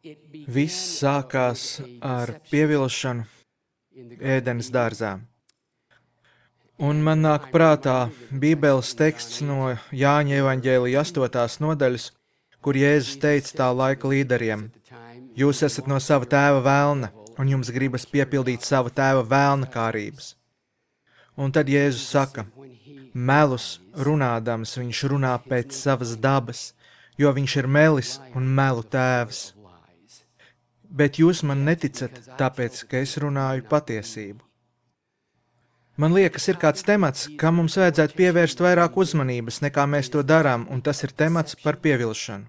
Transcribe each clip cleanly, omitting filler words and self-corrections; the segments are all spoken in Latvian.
Viss sākās ar pievilšanu ēdenes dārzā. Un man nāk prātā Bībeles teksts no Jāņa evaņģēlija 8. nodaļas, kur Jēzus teica tā laika līderiem: Jūs esat no sava tēva velna, un jums gribas piepildīt sava tēva velna kārības. Un tad Jēzus saka, melus runādams viņš runā pēc savas dabas, jo viņš ir melis un melu tēvs. Bet jūs man neticat, tāpēc, ka es runāju patiesību. Man liekas, ir kāds temats, kam mums vajadzētu pievērst vairāk uzmanības, nekā mēs to darām, un tas ir temats par pievilšanu.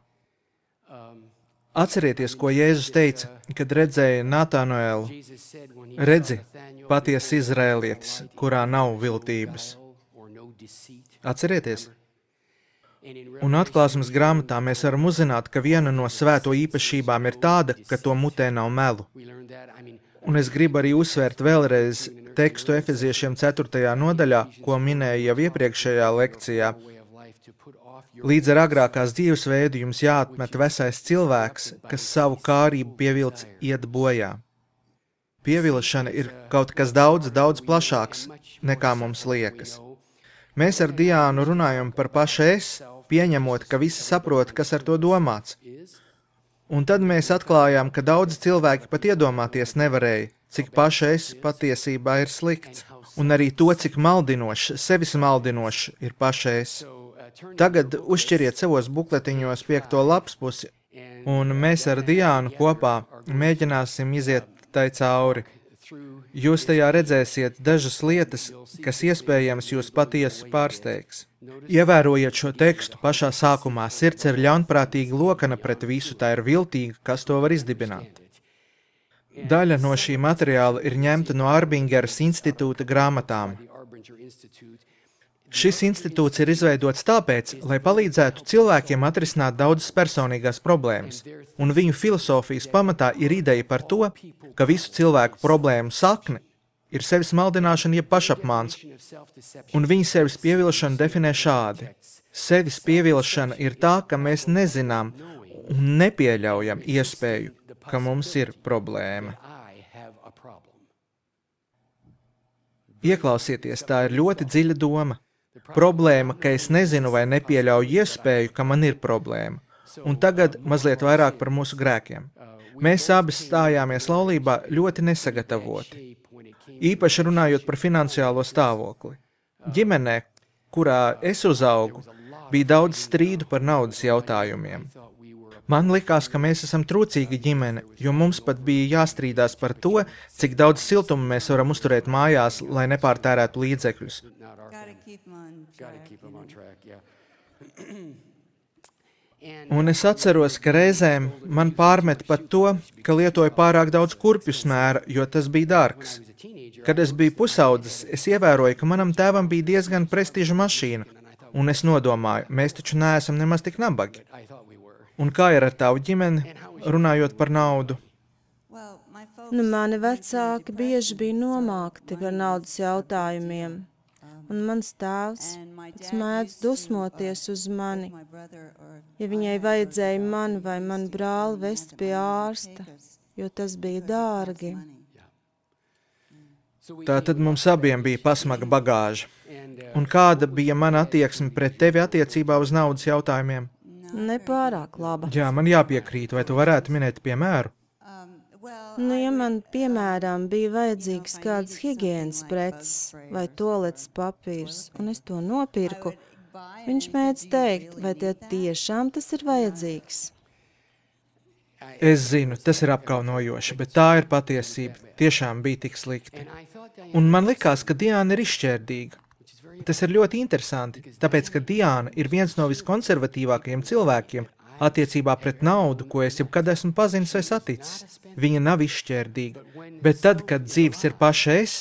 Atcerieties, ko Jēzus teica, kad redzēja Natānoelu. Redzi, patiesi izrēlietis, kurā nav viltības. Atcerieties? Un atklāsmes grāmatā mēs varam uzzināt, ka viena no svēto īpašībām ir tāda, ka to mutē nav melu. Un es gribu arī uzsvērt vēlreiz tekstu Efeziešiem 4. nodaļā, ko minēja jau iepriekšējā lekcijā. Līdz ar agrākās dzīvesveidu jums jāatmet vesais cilvēks, kas savu kārību pievilc iet bojā. Pievilšana ir kaut kas daudz plašāks, nekā mums liekas. Mēs ar Diānu runājam par pašu es, pieņemot, ka visi saprot, kas ar to domāts. Un tad mēs atklājām, ka daudzi cilvēki pat iedomāties nevarēja, cik paša es patiesībā ir slikts, un arī to, cik maldinošs, sevis maldinošs ir paša es. Tagad uzšķiriet savos bukletiņos 5. lapspusi, un mēs ar Diānu kopā mēģināsim iziet tai cauri. Jūs tajā redzēsiet dažas lietas, kas iespējams jūs patiesi pārsteigs. Ievērojiet šo tekstu pašā sākumā, sirds ir ļaunprātīga lokana pret visu, tā ir viltīga, kas to var izdibināt. Daļa no šī materiāla ir ņemta no Arbingeras institūta grāmatām. Šis institūts ir izveidots tāpēc, lai palīdzētu cilvēkiem atrisināt daudzas personīgās problēmas, un viņu filosofijas pamatā ir ideja par to, ka visu cilvēku problēmu sakne ir sevis maldināšana jeb pašapmāns, un viņi sevis pievilšanu definē šādi. Sevis pievilšana ir tā, ka mēs nezinām un nepieļaujam iespēju, ka mums ir problēma. Ieklausieties, tā ir ļoti dziļa doma. Problēma, ka es nezinu vai nepieļauju iespēju, ka man ir problēma. Un tagad mazliet vairāk par mūsu grēkiem. Mēs abi stājāmies laulībā ļoti nesagatavoti. Īpaši runājot par finansiālo stāvokli. Ģimenē, kurā es uzaugu, bija daudz strīdu par naudas jautājumiem. Man likās, ka mēs esam trūcīga ģimene, jo mums pat bija jāstrīdās par to, cik daudz siltumu mēs varam uzturēt mājās, lai nepārtērētu līdzekļus. Un es atceros, ka reizēm man pārmet pat to, ka lietoju pārāk daudz kurpju smēra, jo tas bija dārgs. Kad es biju pusaudzis, es ievēroju, ka manam tēvam bija diezgan prestiža mašīna, un es nodomāju, mēs taču neesam nemaz tik nabagi. Un kā ir ar tavu ģimeni, runājot par naudu? Mani vecāki bieži bija nomākti par naudas jautājumiem, un mans tēvs pats mēdz dusmoties uz mani, ja viņai vajadzēja mani vai manu brāli vest pie ārsta, jo tas bija dārgi. Tātad mums abiem bija pasmaga bagāža. Un kāda bija mana attieksme pret tevi attiecībā uz naudas jautājumiem? Nepārāk laba. Jā, man jāpiekrīt, vai tu varētu minēt piemēru? Ja man, piemēram, bija vajadzīgs kāds higienas preces vai toaletes papīrs, un es to nopirku, viņš mēdz teikt, vai tie tiešām tas ir vajadzīgs. Es zinu, tas ir apkaunojoši, bet tā ir patiesība. Tiešām bija tik slikti. Un man likās, ka Diāna ir izšķērdīga. Tas ir ļoti interesanti, tāpēc, ka Diāna ir viens no viskonservatīvākajiem cilvēkiem attiecībā pret naudu, ko es jebkad esmu pazinis vai saticis. Viņa nav izšķērdīga, bet tad, kad dzīves ir paša es,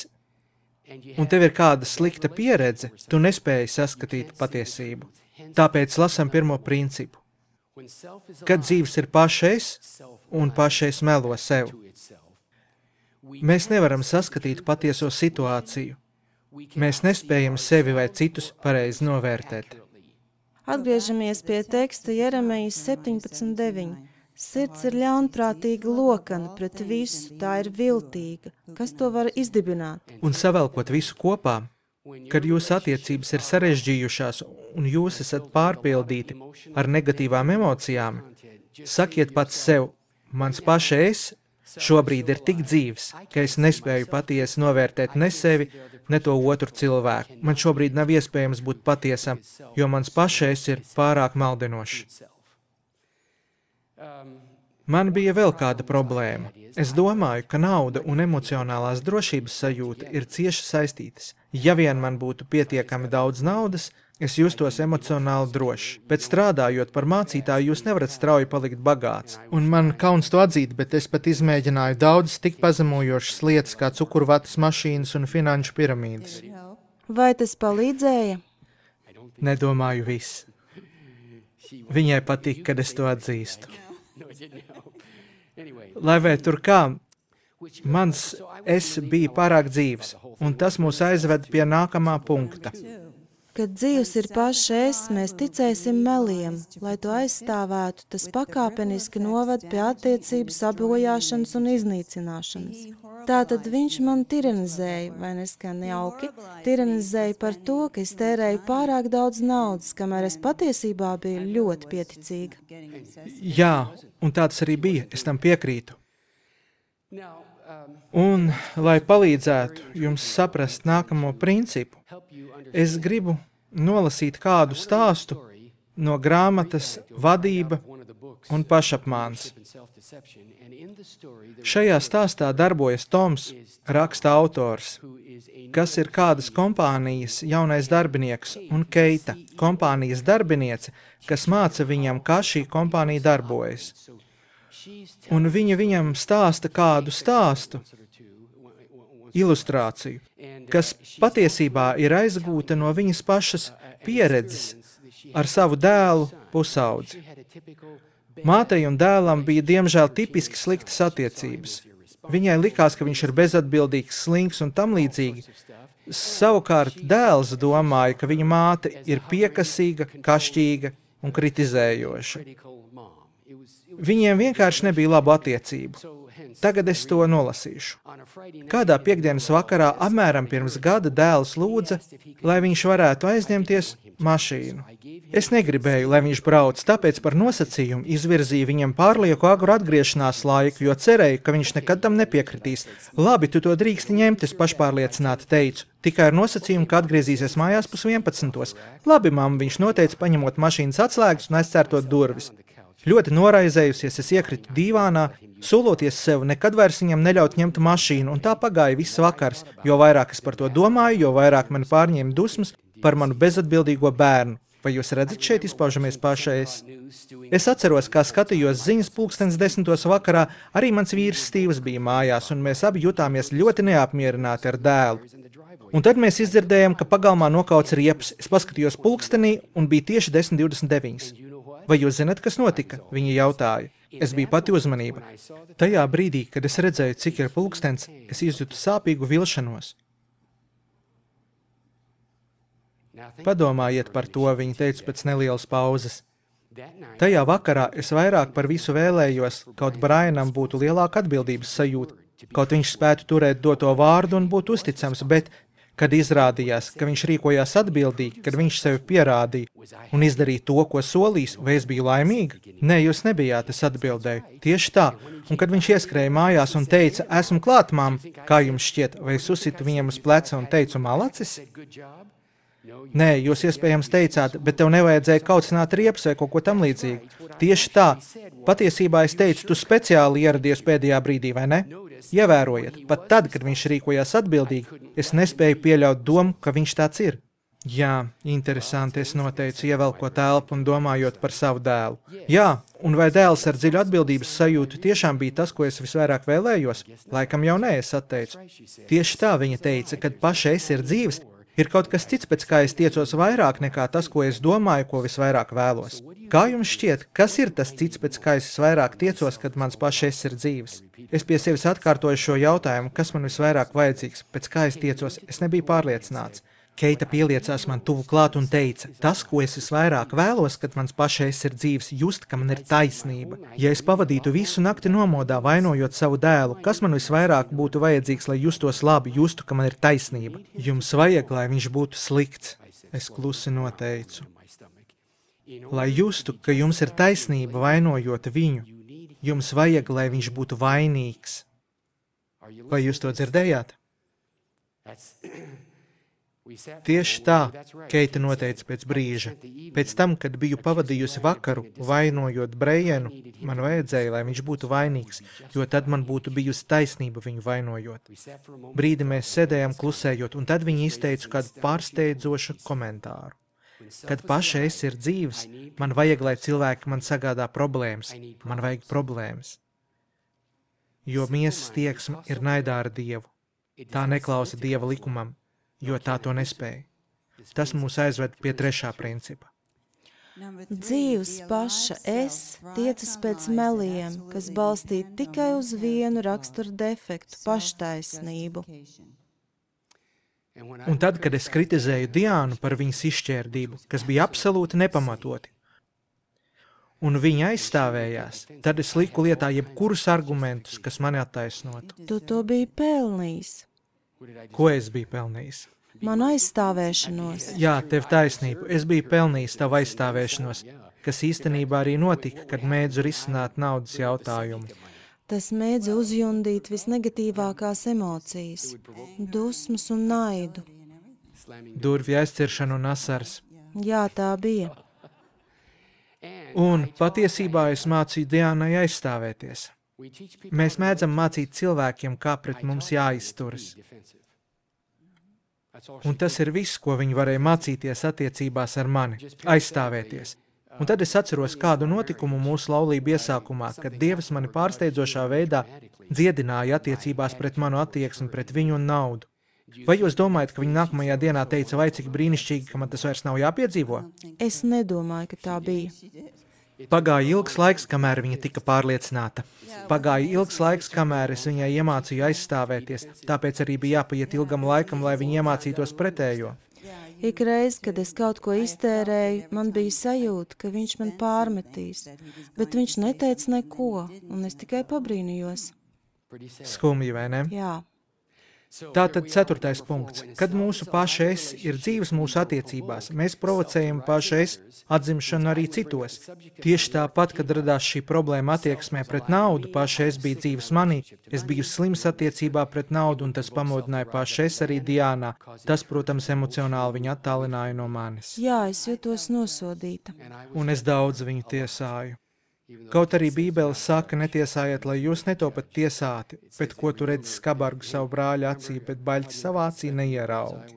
un tev ir kāda slikta pieredze, tu nespēji saskatīt patiesību. Tāpēc lasam pirmo principu. Kad dzīves ir paša es, un paša es melo sev. Mēs nevaram saskatīt patieso situāciju. Mēs nespējam sevi vai citus pareizi novērtēt. Atgriežamies pie teksta Jeremijas 17:9. Sirds ir ļaunprātīga lokana pret visu, tā ir viltīga. Kas to var izdibināt? Un savelkot visu kopā, kad jūsu attiecības ir sarežģījušās un jūs esat pārpildīti ar negatīvām emocijām, sakiet pats sev, mans paša es šobrīd ir tik dzīvs, ka es nespēju patiesi novērtēt ne sevi, ne to otru cilvēku. Man šobrīd nav iespējams būt patiesam, jo mans paša es ir pārāk maldinošs. Man bija vēl kāda problēma. Es domāju, ka nauda un emocionālās drošības sajūta ir cieši saistītas. Ja vien man būtu pietiekami daudz naudas, es justos emocionāli drošs. Bet strādājot par mācītāju, jūs nevarat strauji palikt bagāts. Un man kauns to atzīt, bet es pat izmēģināju daudzas tik pazemojošas lietas kā cukurvatas mašīnas un finanšu piramīdas. Vai tas palīdzēja? Nedomāju viss. Viņai patīk, kad es to atzīstu. Lai vai tur kā, mans es bija pārāk dzīvs, un tas mūs aizved pie nākamā punkta. Kad dzīvs ir paša es, mēs ticēsim meliem. Lai to aizstāvētu, tas pakāpeniski novad pie attiecību sabojāšanas un iznīcināšanas. Tātad viņš man tiranizēja, vai neskan jauki, tiranizēja par to, ka es tērēju pārāk daudz naudas, kamēr es patiesībā biju ļoti pieticīga. Jā, un tā tas arī bija, es tam piekrītu. Un, lai palīdzētu jums saprast nākamo principu, es gribu nolasīt kādu stāstu no grāmatas Vadība un pašapmāns. Šajā stāstā darbojas Toms, raksta autors, kas ir kādas kompānijas jaunais darbinieks, un Keita, kompānijas darbiniece, kas māca viņam, kā šī kompānija darbojas. Un viņa viņam stāsta kādu stāstu, ilustrāciju, kas patiesībā ir aizgūta no viņas pašas pieredzes ar savu dēlu pusaudzi. Mātei un dēlam bija diemžēl tipiski sliktas attiecības. Viņai likās, ka viņš ir bezatbildīgs, slinks un tam līdzīgi. Savukārt dēls domāja, ka viņa māte ir piekasīga, kašķīga un kritizējoša. Viņiem vienkārši nebija labu attiecību. Tagad es to nolasīšu. Kādā piektdienas vakarā apmēram pirms gada dēls lūdza, lai viņš varētu aizņemties mašīnu. Es negribēju, lai viņš brauc, tāpēc par nosacījumu izvirzīju viņam pārlieku agru atgriešanās laiku, jo cerēju, ka viņš nekad tam nepiekritīs. Labi, tu to drīksti ņemt, es pašpārliecināti teicu, tikai ar nosacījumu, ka atgriezīsies mājās 10:11. Labi, mamma, viņš noteica, paņemot mašīnas atslēgas un aizcērtot durvis. Ļoti noraizējusies, es iekritu dīvānā, soloties sev nekad vairs viņam neļaut ņemt mašīnu, un tā pagāja viss vakars. Jo vairāk es par to domāju, jo vairāk mani pārņēma dusmas par manu bezatbildīgo bērnu. Vai jūs redzat, šeit izpaužamies pašais? Es atceros, kā skatījos ziņas 10:00 vakarā, arī mans vīrs Stīvs bija mājās, un mēs abi jutāmies ļoti neapmierināti ar dēlu. Un tad mēs izdzirdējām, ka pagalmā nokauts riepas. Es paskatījos pulkstenī un bija tieši 10:29. Vai jūs zināt, kas notika? Viņa jautāja. Es biju pati uzmanība. Tajā brīdī, kad es redzēju, cik ir pulkstens, es izjūtu sāpīgu vilšanos. Padomājiet par to, viņa teica pēc nelielas pauzes. Tajā vakarā es vairāk par visu vēlējos, kaut Brianam būtu lielāka atbildības sajūta, kaut viņš spētu turēt doto vārdu un būt uzticams, bet, kad izrādījās, ka viņš rīkojās atbildīgi, kad viņš sevi pierādīja un izdarīja to, ko solījis, vai es biju laimīga? Nē, jūs nebijāt, es atbildēju. Tieši tā. Un kad viņš ieskrēja mājās un teica, esmu klāt, mam, kā jums šķiet, vai es uzsitu viņam uz pleca un teicu, malacis? Nē, jūs iespējams teicāt, bet tev nevajadzēja kaucināt riepas vai kaut ko tam līdzīgi. Tieši tā. Patiesībā es teicu, tu speciāli ieradies pēdējā brīdī, vai ne? Ievērojiet, pat tad, kad viņš rīkojās atbildīgi, es nespēju pieļaut domu, ka viņš tāds ir. Jā, interesanti, es noteicu, ievelkot elpu un domājot par savu dēlu. Jā, un vai dēls ar dziļu atbildības sajūtu tiešām bija tas, ko es visvairāk vēlējos? Laikam jau nē, es atteicu. Tieši tā viņa teica, kad paša es ir dzīves, ir kaut kas cits, pēc kā es tiecos vairāk nekā tas, ko es domāju, ko visvairāk vēlos. Kā jums šķiet, kas ir tas cits, pēc kā es visvairāk tiecos, kad mans pašais ir dzīves? Es pie sevis atkārtoju šo jautājumu, kas man visvairāk vajadzīgs, pēc kā es tiecos, es nebiju pārliecināts. Keita pieliecās man tuvu klāt un teica, tas, ko es visvairāk vēlos, kad mans pašais ir dzīves, just, ka man ir taisnība. Ja es pavadītu visu nakti nomodā, vainojot savu dēlu, kas man visvairāk būtu vajadzīgs, lai justos labi, justu, ka man ir taisnība? Jums vajag, lai viņš būtu slikts, es klusi noteicu. Lai justu, ka jums ir taisnība vainojot viņu, jums vajag, lai viņš būtu vainīgs. Vai jūs to dzirdējāt? Tieši tā, Keita noteica pēc brīža. Pēc tam, kad biju pavadījusi vakaru, vainojot Brejenu, man vajadzēja, lai viņš būtu vainīgs, jo tad man būtu bijusi taisnība viņu vainojot. Brīdi mēs sēdējām klusējot, un tad viņi izteica kādu pārsteidzošu komentāru. Kad paša es ir dzīves, man vajag, lai cilvēki man sagādā problēmas. Man vajag problēmas. Jo miesas tieksme ir naidā ar Dievu. Tā neklausa Dieva likumam, jo tā to nespēja. Tas mūs aizved pie trešā principa. Dzīves paša es tiecas pēc meliem, kas balstīti tikai uz vienu raksturu defektu – paštaisnību. Un tad, kad es kritizēju Diānu par viņas izšķērdību, kas bija absolūti nepamatoti, un viņa aizstāvējās, tad es liku lietā jebkurus argumentus, kas mani attaisnotu. Tu to biji pelnījis. Ko es biju pelnījis? Manu aizstāvēšanos. Jā, tev taisnība. Es biju pelnījis tavu aizstāvēšanos, kas īstenībā arī notika, kad mēdzu risināt naudas jautājumu. Tas mēdza uzjundīt visnegatīvākās emocijas, dusmas un naidu. Durvju aizciršanu un asaras. Jā, tā bija. Un patiesībā es mācīju Diānai aizstāvēties. Mēs mēdzam mācīt cilvēkiem, kā pret mums jāizturas. Un tas ir viss, ko viņi varēja mācīties attiecībās ar mani – aizstāvēties. Un tad es atceros kādu notikumu mūsu laulību iesākumā, kad Dievs mani pārsteidzošā veidā dziedināja attiecībās pret manu attieksmi pret viņu un naudu. Vai jūs domājat, ka viņa nākamajā dienā teica, vai cik brīnišķīgi, ka man tas vairs nav jāpiedzīvo? Es nedomāju, ka tā bija. Pagāja ilgs laiks, kamēr viņa tika pārliecināta. Pagāja ilgs laiks, kamēr es viņai iemācīju aizstāvēties, tāpēc arī bija jāpaiet ilgam laikam, lai viņa iemācītos pretējo. Ikreiz, kad es kaut ko iztērēju, man bija sajūta, ka viņš man pārmetīs, bet viņš neteica neko, un es tikai pabrīnījos. Skumji, vai ne? Jā. Tātad 4. punkts. Kad mūsu paša es ir dzīves mūsu attiecībās, mēs provocējam paša es atzimšanu arī citos. Tieši tāpat, kad radās šī problēma attieksmē pret naudu, paša es bija dzīves manī, es biju slims attiecībā pret naudu, un tas pamodināja paša es arī Diānā. Tas, protams, emocionāli viņu attālināja no manis. Jā, es jutos nosodīta. Un es daudz viņu tiesāju. Kaut arī Bībele saka, netiesājiet, lai jūs netopat tiesāti, bet ko tu redzi skabargu savu brāļa acī, bet baļķi savā acī neieraudi.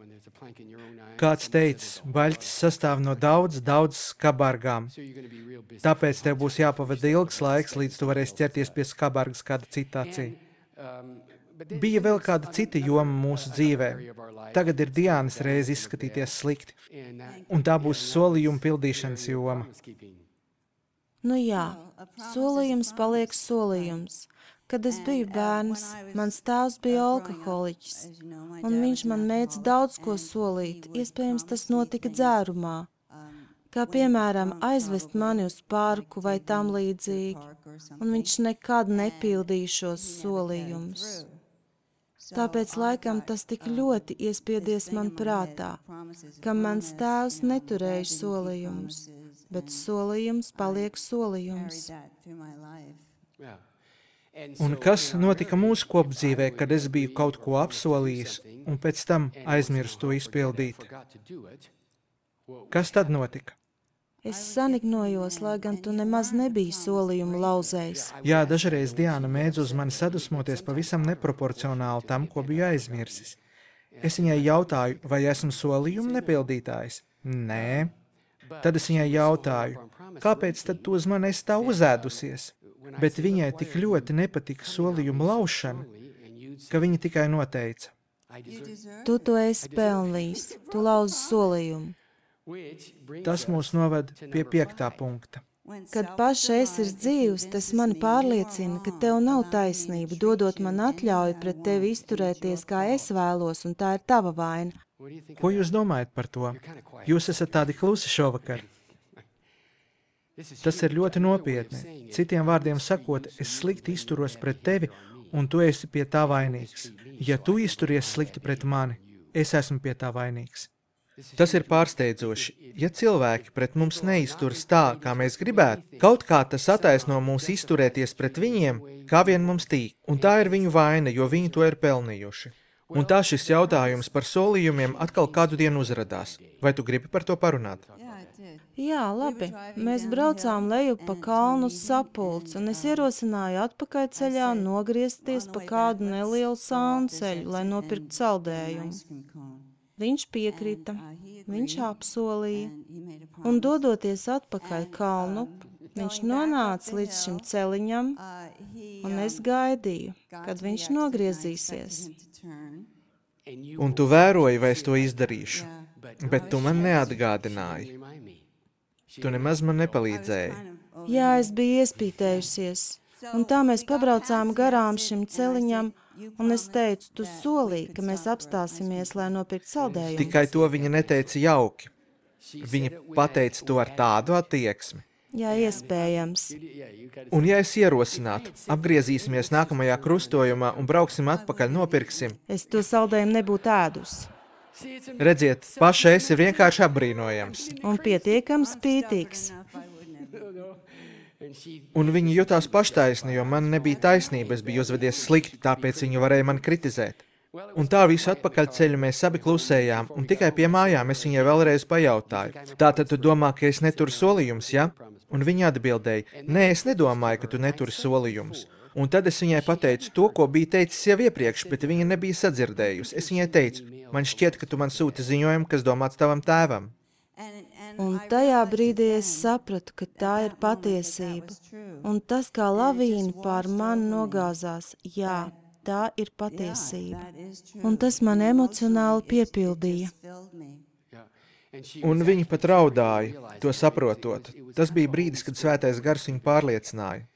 Kāds teicis, baļķis sastāv no daudz skabargām, tāpēc tev būs jāpavada ilgs laiks, līdz tu varēsi ķerties pie skabargas kāda cita acī. Bija vēl kāda cita joma mūsu dzīvē. Tagad ir Diānas reize izskatīties slikti, un tā būs solījuma pildīšanas joma. Nu jā, solījums paliek solījums. Kad es biju bērns, mans tēvs bija alkoholiķis, un viņš man mēdz daudz ko solīt, iespējams tas notika dzērumā, kā piemēram aizvest mani uz parku vai tam līdzīgi, un viņš nekad nepildīja šos solījumus. Tāpēc laikam tas tik ļoti iespiedies man prātā, ka mans tēvs neturēja solījumus, bet solījums paliek solījums. Un kas notika mūsu kopdzīvē, kad es biju kaut ko apsolījis un pēc tam aizmirsu to izpildīt? Kas tad notika? Es sanignojos, lai gan tu nemaz nebija solījumu lauzējis. Jā, dažreiz Diāna mēdz uz mani sadusmoties pavisam neproporcionāli tam, ko biju aizmirsis. Es viņai jautāju, vai esmu solījumu nepildītājs? Nē. Tad es viņai jautāju, kāpēc tad tu uz mani esi tā uzēdusies? Bet viņai tik ļoti nepatika solījumu laušana, ka viņa tikai noteica. Tu to esi pelnījis, tu lauzi solījumu. Tas mūs noved pie 5. punkta. Kad paša es ir dzīvs, tas mani pārliecina, ka tev nav taisnība, dodot man atļauju pret tevi izturēties, kā es vēlos, un tā ir tava vaina. Ko jūs domājat par to? Jūs esat tādi klusi šovakar. Tas ir ļoti nopietni. Citiem vārdiem sakot, es slikti izturos pret tevi, un tu esi pie tā vainīgs. Ja tu izturies slikti pret mani, es esmu pie tā vainīgs. Tas ir pārsteidzoši. Ja cilvēki pret mums neizturas tā, kā mēs gribētu, kaut kā tas attaisno mūs izturēties pret viņiem, kā vien mums tīk, un tā ir viņu vaina, jo viņi to ir pelnījuši. Un tā šis jautājums par solījumiem atkal kādu dienu uzradās. Vai tu gribi par to parunāt? Jā, labi. Mēs braucām leju pa kalnu uz Sapulci, un es ierosināju atpakaļceļā nogriezties pa kādu nelielu sānceļu, lai nopirktu saldējumu. Viņš piekrita, viņš apsolīja, un dodoties atpakaļ kalnu, viņš nonāca līdz šim celiņam, un es gaidīju, kad viņš nogriezīsies. Un tu vēroji, vai es to izdarīšu, bet tu man neatgādināji. Tu nemaz man nepalīdzēji. Jā, es biju iespītējusies, un tā mēs pabraucām garām šim celiņam, un es teicu, tu solīji, ka mēs apstāsimies, lai nopirkt saldējumu. Tikai to viņa neteica jauki. Viņa pateica to ar tādu attieksmi. Jā, iespējams. Un ja es ierosinātu, apgriezīsimies nākamajā krustojumā un brauksim atpakaļ, nopirksim. Es to saldējumu nebūtu ēdus. Redziet, pašais ir vienkārši apbrīnojams. Un pietiekami spītīgs. Un viņa jutās paštaisni, jo man nebija taisnība, es biju uzvedies slikti, tāpēc viņa varēja mani kritizēt. Un tā visu atpakaļceļu mēs abi klusējām, un tikai pie mājām es viņai vēlreiz pajautāju. Tātad tu domā, ka es neturu solījumus, ja? Un viņa atbildēja, nē, es nedomāju, ka tu neturi solījumus. Un tad es viņai pateicu to, ko biju teicis jau iepriekš, bet viņa nebija sadzirdējusi. Es viņai teicu, man šķiet, ka tu man sūti ziņojumu, kas domāts tavam tēvam. Un tajā brīdī es sapratu, ka tā ir patiesība. Un tas, kā lavīna pār mani nogāzās, jā, tā ir patiesība. Un tas man emocionāli piepildīja. Un viņa pat raudāja, to saprotot. Tas bija brīdis, kad svētais gars viņu pārliecināja.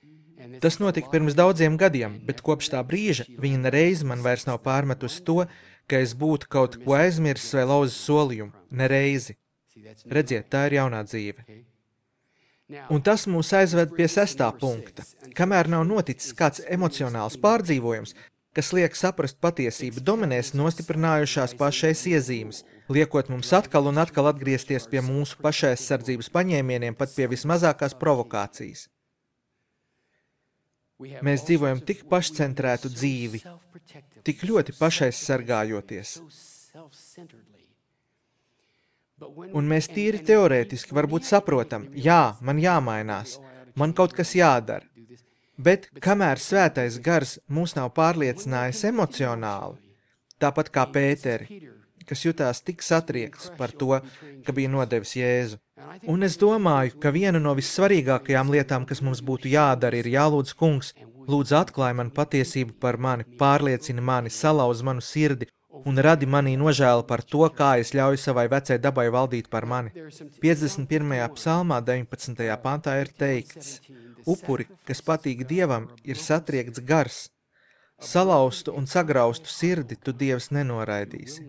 Tas notika pirms daudziem gadiem, bet kopš tā brīža viņa nereiz man vairs nav pārmetusi to, ka es būtu kaut ko aizmirsis vai lauzis solījumu. Nereizi. Redziet, tā ir jaunā dzīve. Un tas mūs aizved pie 6. punkta. Kamēr nav noticis kāds emocionāls pārdzīvojums, kas liek saprast patiesību, dominēs nostiprinājušās pašais iezīmes, liekot mums atkal un atkal atgriezties pie mūsu pašaizsardzības paņēmieniem pat pie vismazākās provokācijas. Mēs dzīvojam tik pašcentrētu dzīvi, tik ļoti pašaizsargājoties. Un mēs tīri teorētiski varbūt saprotam, jā, man jāmainās, man kaut kas jādara. Bet kamēr svētais gars mūs nav pārliecinājis emocionāli, tāpat kā Pēteri, kas jutās tik satriekts par to, ka bija nodevis Jēzu. Un es domāju, ka viena no vissvarīgākajām lietām, kas mums būtu jādara, ir jālūdz kungs, lūdzu atklāj man patiesību par mani, pārliecini mani, salauz manu sirdi un radi manī nožēlu par to, kā es ļauju savai vecai dabai valdīt par mani. 51. psalmā 19. pantā ir teikts, upuri, kas patīk Dievam, ir satriekts gars. Salauztu un sagraustu sirdi tu Dievs nenoraidīsi.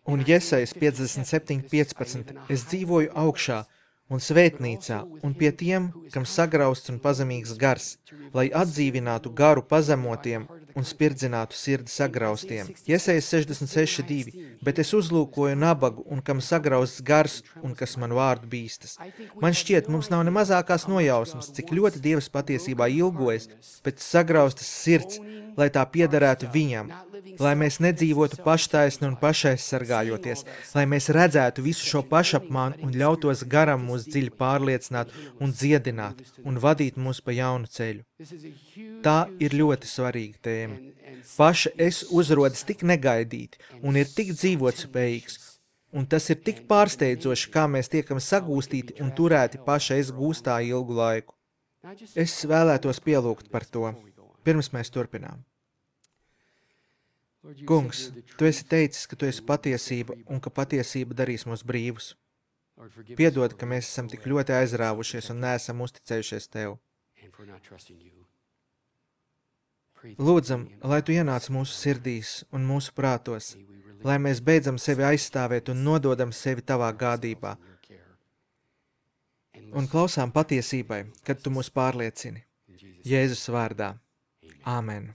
Un Jesajas 57.15. Es dzīvoju augšā un svētnīcā un pie tiem, kam sagrausts un pazemīgs gars, lai atdzīvinātu garu pazemotiem un spirdzinātu sirdi sagraustiem. Jesajas 66.2. Bet es uzlūkoju nabagu un kam sagrausts gars un kas man vārdu bīstas. Man šķiet, mums nav ne mazākās nojausmas, cik ļoti Dievs patiesībā ilgojas pēc sagraustas sirds, lai tā piederētu viņam, lai mēs nedzīvotu paštaisni un pašaizsargājoties, lai mēs redzētu visu šo pašapmānu un ļautos garam mūs dziļi pārliecināt un dziedināt un vadīt mūs pa jaunu ceļu. Tā ir ļoti svarīga tēma. Paša es uzrodas tik negaidīti un ir tik dzīvotspējīgs, un tas ir tik pārsteidzoši, kā mēs tiekam sagūstīti un turēti paša es gūstā ilgu laiku. Es vēlētos pielūgt par to. Pirms mēs turpinām. Kungs, tu esi teicis, ka tu esi patiesība un ka patiesība darīs mūs brīvus. Piedod, ka mēs esam tik ļoti aizrāvušies un neesam uzticējušies tev. Lūdzam, lai tu ienāc mūsu sirdīs un mūsu prātos, lai mēs beidzam sevi aizstāvēt un nododam sevi tavā gādībā un klausām patiesībai, kad tu mūs pārliecini. Jēzus vārdā. Āmen.